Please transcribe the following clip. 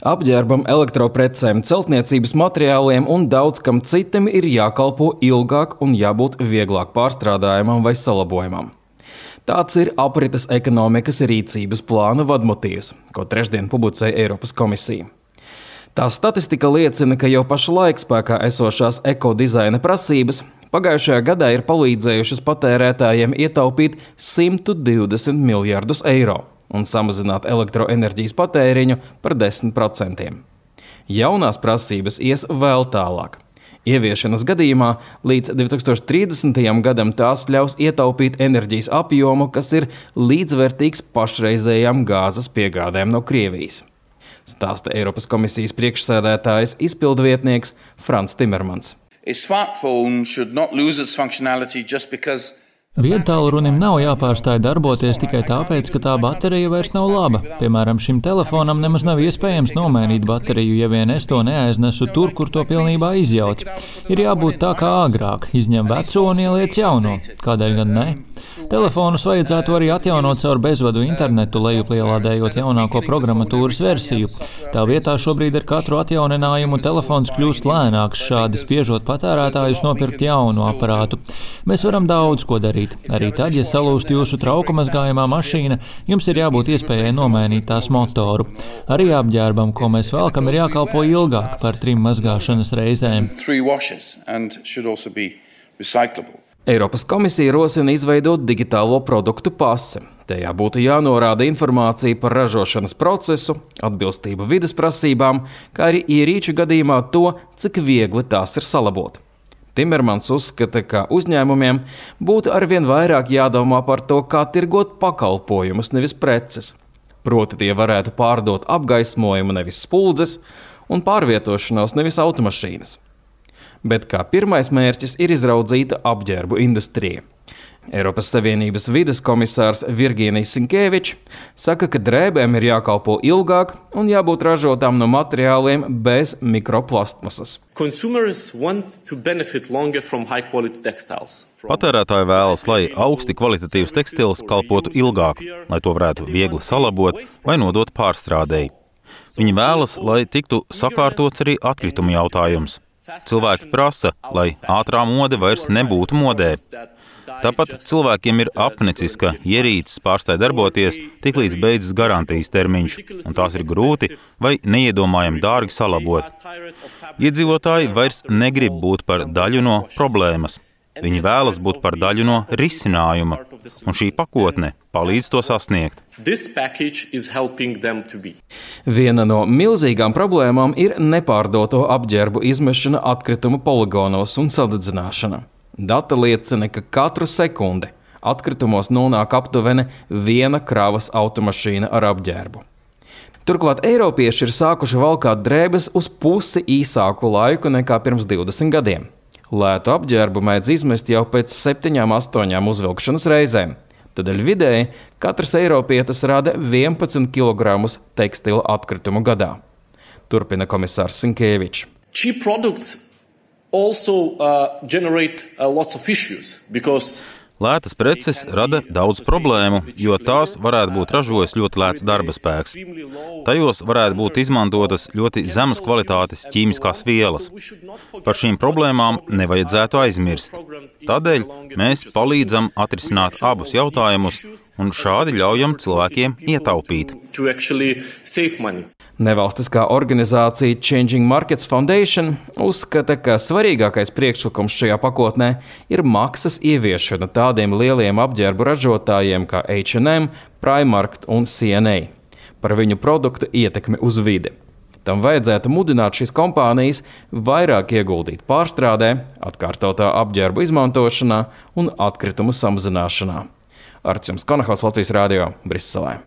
Apģērbam, elektroprecēm, celtniecības materiāliem un daudz kam citam ir jākalpo ilgāk un jābūt vieglāk pārstrādājamam vai salabojamam. Tāds ir aprites ekonomikas rīcības plāna vadmotīvs, ko trešdien publicēja Eiropas komisija. Tā statistika liecina, ka jau pašlaik spēkā esošās ekodizaina prasības pagājušajā gadā ir palīdzējušas patērētājiem ietaupīt 120 miljardus eiro un samazināt elektroenerģijas patēriņu par 10%. Jaunās prasības ies vēl tālāk. Ieviešanas gadījumā līdz 2030. gadam tās ļaus ietaupīt enerģijas apjomu, kas ir līdzvērtīgs pašreizējām gāzes piegādēm no Krievijas. Stāsta Eiropas komisijas priekšsēdētājs izpildvietnieks Frans Timermans. Viedtālrunim nav jāpārstāj darboties tikai tāpēc, ka tā baterija vairs nav laba. Piemēram, šim telefonam nemaz nav iespējams nomainīt bateriju, ja vien es to neaiznesu tur, kur to pilnībā izjauc. Ir jābūt tā kā agrāk, izņem veco un ieliec jauno. Kādēļ gan ne? Telefonus vajadzētu arī atjaunot caur bezvadu internetu, lejupielādējot jaunāko programmatūras versiju. Tā vietā šobrīd ar katru atjauninājumu telefons kļūst lēnāks, šādi spiežot patērētājus nopirkt jaunu aparātu. Mēs varam daudz ko darīt. Arī tad, ja salūst jūsu trauku mazgājamā mašīna, jums ir jābūt iespējai nomainīt tās motoru. Arī apģērbam, ko mēs velkam, ir jākalpo ilgāk par 3 mazgāšanas reizēm. Eiropas komisija rosina izveidot digitālo produktu pasi. Tajā būtu jānorāda informācija par ražošanas procesu, atbilstību vides prasībām, kā arī ierīču gadījumā to, cik viegli tās ir salabot. Timermans uzskata, ka uzņēmumiem būtu arvien vairāk jādomā par to, kā tirgot pakalpojumus, nevis preces. Proti tie varētu pārdot apgaismojumu, nevis spuldzes, un pārvietošanos, nevis automašīnas. Bet kā pirmais mērķis ir izraudzīta apģērbu industrija. Eiropas Savienības vides komisārs Virginijs Sinkevičs saka, ka drēbēm ir jākalpo ilgāk un jābūt ražotām no materiāliem bez mikroplastmasas. Patērētāji vēlas, lai augsti kvalitatīvs tekstils kalpotu ilgāk, lai to varētu viegli salabot vai nodot pārstrādēji. Viņi vēlas, lai tiktu sakārtots arī atkritumu jautājums. Cilvēki prasa, lai ātrā mode vairs nebūtu modē. Tāpat cilvēkiem ir apnicis, ka ierīces pārstāj darboties tiklīdz beidzas garantijas termiņš, un tās ir grūti vai neiedomājami dārgi salabot. Iedzīvotāji vairs negrib būt par daļu no problēmas. Viņi vēlas būt par daļu no risinājuma, un šī pakotne palīdz to sasniegt. Viena no milzīgām problēmām ir nepārdoto apģērbu izmešana atkritumu poligonos un sadedzināšana. Dati liecina, ka katru sekundi atkritumos nonāk aptuveni 1 kravas automašīna ar apģērbu. Turklāt eiropieši ir sākuši valkāt drēbes uz pusi īsāku laiku nekā pirms 20 gadiem. Lētu apģērbu mēdz izmest jau pēc 7–8 uzvilkšanas reizēm. Tādēļ vidēji katrs eiropietis rada 11 kg tekstila atkritumu gadā. Turpina komisārs Sinkevičs. Lētas preces rada daudz problēmu, jo tās varētu būt ražojis ļoti lēts darba spēks. Tajos varētu būt izmantotas ļoti zemas kvalitātes ķīmiskās vielas. Par šīm problēmām nevajadzētu aizmirst. Tādēļ mēs palīdzam atrisināt abus jautājumus un šādi ļaujam cilvēkiem ietaupīt. Nevalstiskā organizācija Changing Markets Foundation uzskata, ka svarīgākais priekšlikums šajā pakotnē ir maksas ieviešana tādiem lieliem apģērbu ražotājiem kā H&M, Primark un C&A par viņu produktu ietekmi uz vidi. Tam vajadzētu mudināt šīs kompānijas vairāk ieguldīt pārstrādē, atkārtotā apģērbu izmantošanā un atkritumu samazināšanā. Arčuns Konahaus, Latvijas radio, Briselē.